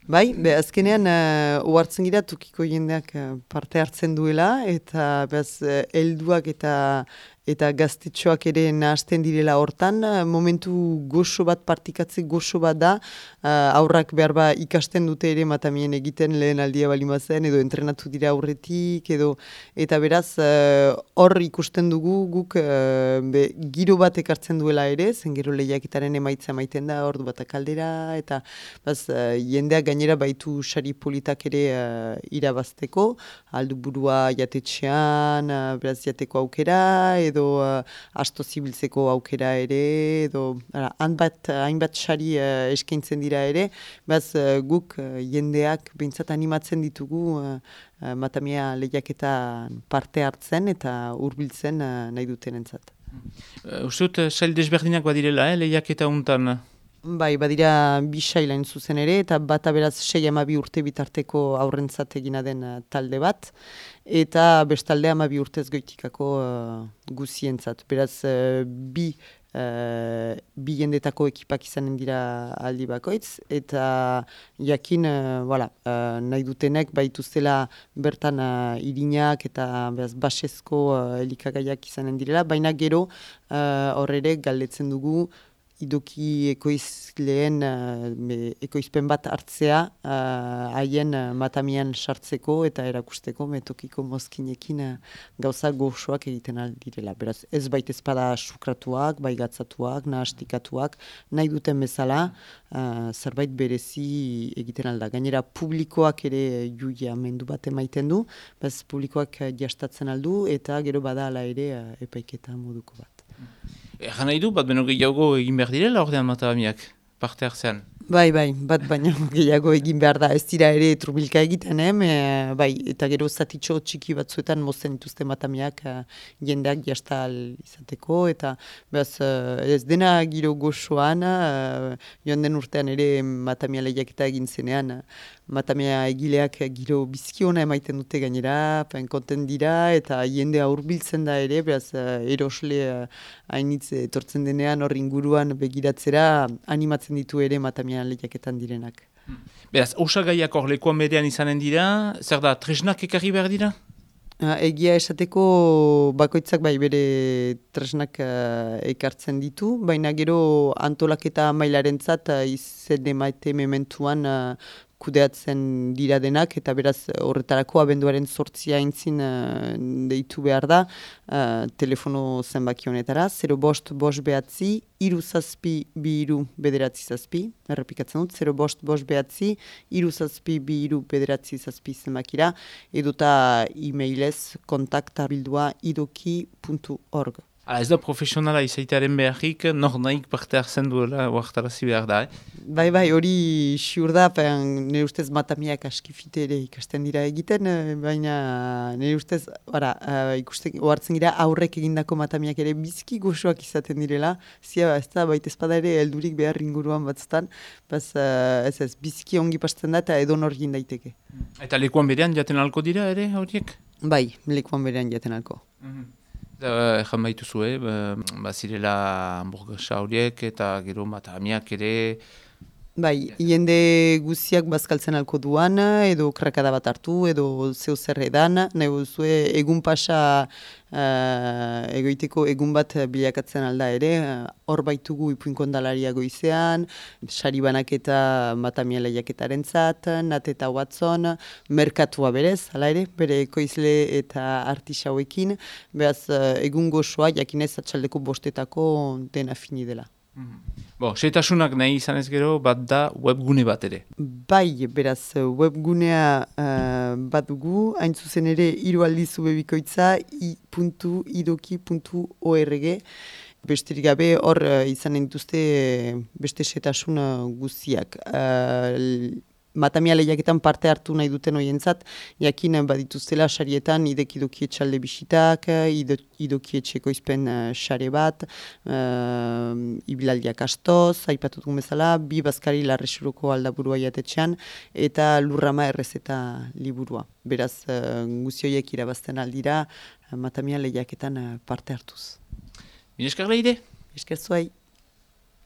Bai, azkenean ohartzen gira tokiko jendeak parte hartzen duela, eta helduak eta gaztetxoak ere nahasten direla hortan, momentu goxo bat, partikatze goxo bat da, aurrak behar ikasten dute ere matamien egiten lehen aldia balimazen, edo entrenatu dira aurretik, eta beraz hor ikusten dugu guk giro bat ekartzen duela ere, zen gero lehiaketaren emaitza maiten da, ordu bat kaldera, eta jendeak gainera baitu sari politak ere irabazteko, aldu burua jatetxean, beraz jateko aukera, edo asto zibiltzeko aukera ere, edo hainbat sari eskaintzen dira ere, guk jendeak behintzat animatzen ditugu matamia lehiaketan parte hartzen eta hurbiltzen nahi dutenentzat. Uste dut, sail desberdinak badirela, lehiaketa untan? Bai, badira bi sailain zuzen ere, eta bata beraz 6-12 urte bitarteko aurrentzat egina den talde bat, eta bestalde 12 urtez goitikako guzientzat. Beraz, bi jendetako ekipak izanen dira aldi bakoitz, eta jakin nahi dutenek baituztela bertan irinak eta basezko elikagaiak izanen direla, baina gero horre galdetzen dugu idoki ekoizleen ekoizpen bat hartzea haien matamian sartzeko eta erakusteko metokiko mozkinekin gauza goxoak egiten aldirela. Beraz, ez baitez pada sukratuak, bai gatzatuak, nahastikatuak, nahi duten bezala zerbait berezi egiten alda. Gainera, publikoak ere juia mendu bat emaiten du, publikoak jastatzen aldu eta gero bada ala ere epaiketa moduko bat. Egan nahi du, bat beno gehiago egin behar direla ordean matamiak, parte hartzean? Bai, bat baino gehiago egin behar da, ez dira ere trubilka egiten, eta gero zatitxo txiki batzuetan mozten dituzte matamiak jendeak jastal izateko, eta ez dena giro goxoan, joan den urtean ere matamia lehiaketa egin zenean, matamia egileak giro bizkiona emaiten dute gainera, konten dira, eta jendea hurbiltzen da ere, erosle hainitz etortzen denean hor inguruan begiratzera animatzen ditu ere matamia lehiaketan direnak. Beraz, osagaiak hor lekuan berean izanen dira, zer da, tresnak ekarri behar dira? Egia esateko bakoitzak bere tresnak ekartzen ditu, baina gero antolaketa mailarentzat izen emaite mementuan kudeatzen dira denak, eta beraz horretarako abenduaren 8 aintzin deitu behar da telefono zenbaki honetara, 05 5 behatzi, 3 zazpi 2 bederatzi zazpi, errepikatzen dut, 05 5 behatzi, 3 zazpi 2 bederatzi zazpi zenbakira, edota e-mailez kontaktabildua idoki.org. Ez da profesionala izaitearen beharrik, nor nahik parte hartzen duela oartarazi behar da, Bai, hori siur da, nire ustez matamiak askifite ere ikasten dira egiten, baina nire ustez, ohartzen gira aurrek egindako matamiak ere bizki goxoak izaten direla, zia ez da, baita espada ere heldurik behar inguruan batzutan, ez bizki ongi pasten da eta edonor egin daiteke. Eta lekuan berean jaten alko dira ere horiek? Bai, lekuan berean jaten alko. Egan baituzu, bazirela hamburguesa horiek eta gero matamiak ere... Bai, jende guziak bazkaltzen alko duan, edo krakada bat hartu, edo zeu zer edan, nahi buzue egun pasa egoiteko egun bat bilakatzen alda ere, hor baitugu ipuinkondalaria goizean, sari banak eta matamia lehiaketaren zat, Nat eta Watson, merkatua berez, hala ere, bere ekoizle eta artisauekin, beraz egun goxoa jakinez atxaldeko bostetako dena fini dela. Seitasunak nahi izan ez gero, bat da webgune bat ere. Bai, beraz, webgunea bat dugu, hain zuzen ere, 3 aldiz webikoitza i.idoki.org. Besterik gabe, hor izanen dituzte beste setasun guztiak. Matamia lehiaketan parte hartu nahi duten horientzat, jakin badituztela sarietan idoki etxalde bisitak, idoki etxeko izpen sare bat, ibilaldiak astoz, aipatutuk bezala, 2 bazkari larresuroko aldaburua jatetxean, eta lurrama errezeta liburua. Beraz, guzioiek irabazten aldira, matamia lehiaketan parte hartuz. Mineskar lehide? Esker zuai.